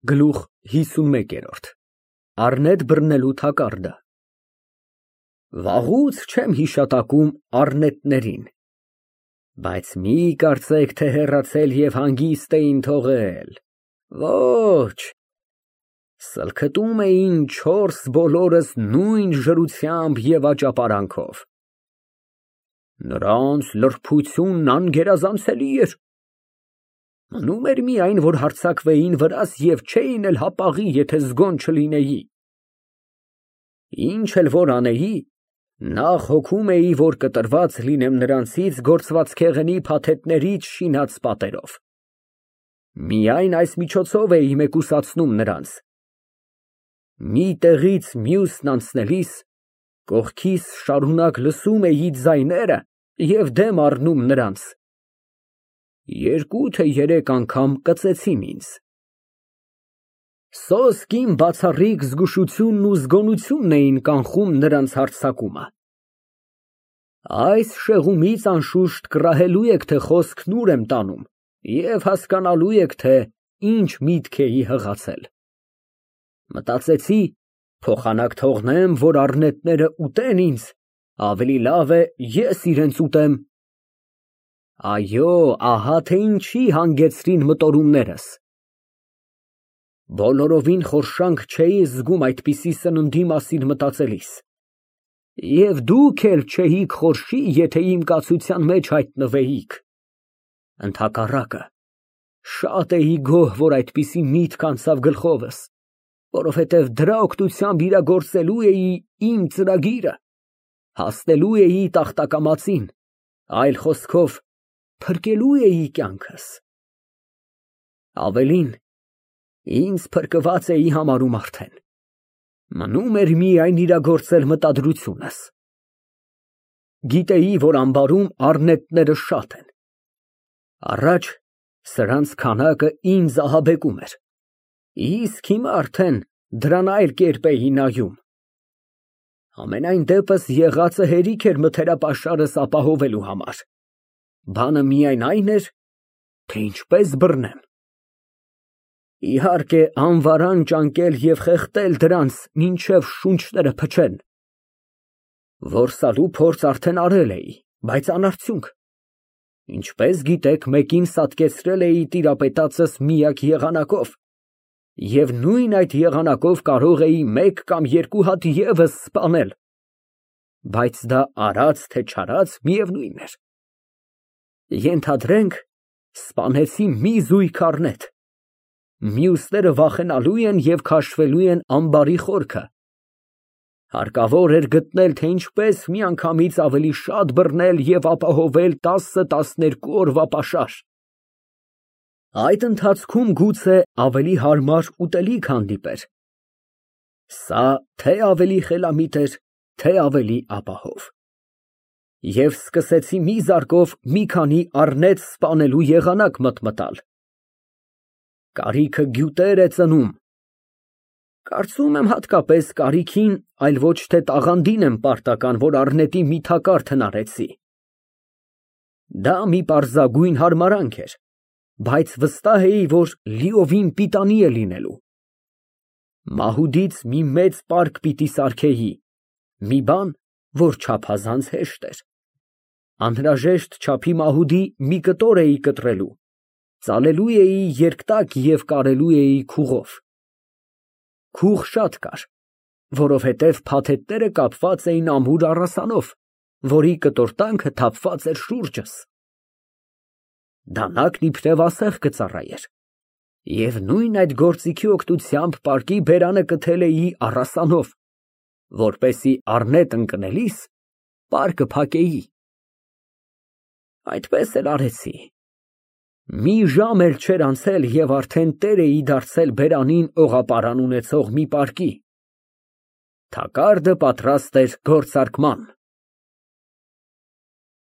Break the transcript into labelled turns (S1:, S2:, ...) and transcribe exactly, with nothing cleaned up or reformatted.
S1: Գլուխ հիսունմեկ։ Առնետ բռնելու թակարդը։ Վաղուց չեմ հիշատակում առնետներին, բայց մի կարծեք, թե հեռացել և հանգիստ էին թողել, ոչ, սլքտում էին չորս բոլորս նույն ժրությամբ և աճապարանքով։ Նրանց լրբությունն անգերազանցելի էր, մնում էր միայն, որ հարձակվեին վրաս և չէին էլ հապաղի, եթե զգոն չլինեի։ Ինչ էլ որ անեի, նախ հոգում էի, որ կտրված լինեմ նրանցից գործվածքեղենի փաթեթներից շինած պատերով, միայն այս միջոցով էի մեկուսացնում նրանց։ Մի տեղից մյուսն անցնելիս կողքիս շարունակ լսում էի ձայները և դեմ առնում նրանց, երկու թե երեք անգամ կծեցին ինձ։ Սոսկ իմ բացառիկ զգուշությունն ու զգոնությունն էին կանխում նրանց հարձակումը։ Այս շեղումից անշուշտ կռահելու եք, թե խոսքն ուր եմ տանում և հասկանալու եք, թե ինչ միտք էի հղացել։ Մտածեցի, փոխանակ թողնեմ, որ առնետները ուտեն ինձ, ավելի լավ է ես իրենց ուտեմ։ Այո, ահա թե ինչի հանգեցրին մտորումներս։ Բոլորովին խորշանք չէի զգում այդպիսի սննդի մասին մտածելիս, և դուք էլ չէիք խորշի, եթե իմ կացության մեջ հայտնվեիք։ Ընդհակառակը, շատ էի գոհ, որ այդպիսի միտք անցավ գլխովս, որովհետև դրա օգնությամբ իրագործելու էի իմ ծրագիրը, հասնելու էի տախտակամածին, այլ խոսքով, փրկելու էի կյանքս։ Ավելին, ինձ փրկված էի համարում արդեն, մնում էր միայն իրագործել մտադրությունս։ Գիտեի, որ ամբարում առնետները շատ են, առաջ սրանց քանակը ինձ ահաբեկում էր, իսկ հիմա արդեն դրան այլ կերպ էի նայում։ Համենայն դեպս եղածը հերիք էր մթերապաշարս ապահովելու համար, բանը միայն այն էր, թե ինչպես բռնեմ։ Իհարկե, անվարան ճանկել և խեղդել դրանց, մինչև շունչները փչեն։ Որսալու փորձ արդեն արել էի, բայց անարդյունք։ Ինչպես գիտեք, մեկին սատկեցրել էի տիրապետածս միակ եղանակով, և նույն այդ եղանակով կարող էի մեկ կամ երկու հատ ևս սպանել, բայց դա արած թե չարած միևնույն էր։ Ենթադրենք, սպանեցի մի զույգ առնետ, մյուսները վախենալու են և քաշվելու են ամբարի խորքը, հարկավոր էր գտնել, թե ինչպես միանգամից ավելի շատ բռնել և ապահովել տասը֊տասներկու օրվա պաշար։ Այդ ընթացքում գուցե ավելի հարմար ուտելիք հանդիպեր, սա թե ավելի խելամիտ էր, թե ավելի ապահով, և սկսեցի մի զարկով մի քանի առնետ սպանելու եղանակ մտմտալ։ Կարիքը գյուտեր է ծնում։ Կարծում եմ հատկապես կարիքին, այլ ոչ թե տաղանդին եմ պարտական, որ առնետի մի թակարդ հնարեցի։ Դա մի պարզագույն հարմարանք էր, բայց վստահ էի, որ լիովին պիտանի է լինելու։ Մահուդից մի մեծ պարկ պիտի սարքեի, մի բան, որ չափազանց հեշտ էր։ Անհրաժեշտ չափի մահուդի մի կտոր էի կտրելու, ծալելու էի երկտակ և կարելու էի քուղով։ Քուղ շատ կար, որովհետև փաթեթները կապված էին ամուր առասանով, որի կտորտանքը թափված էր շուրջս։ Դանակն իբրև ասեղ կծառայեր, և նույն այդ գործիքի օգնությամբ պարկի բերանը կթել էի առասանով, որպեսզի առնետ ընկնելիս պարկը փակեի։ Այդպես էլ արեցի։ Մի ժամ էլ չէր անցել, և արդեն տեր էի դարձել բերանին օղապարան ունեցող մի պարկի։ Թակարդը պատրաստ էր գործարկման։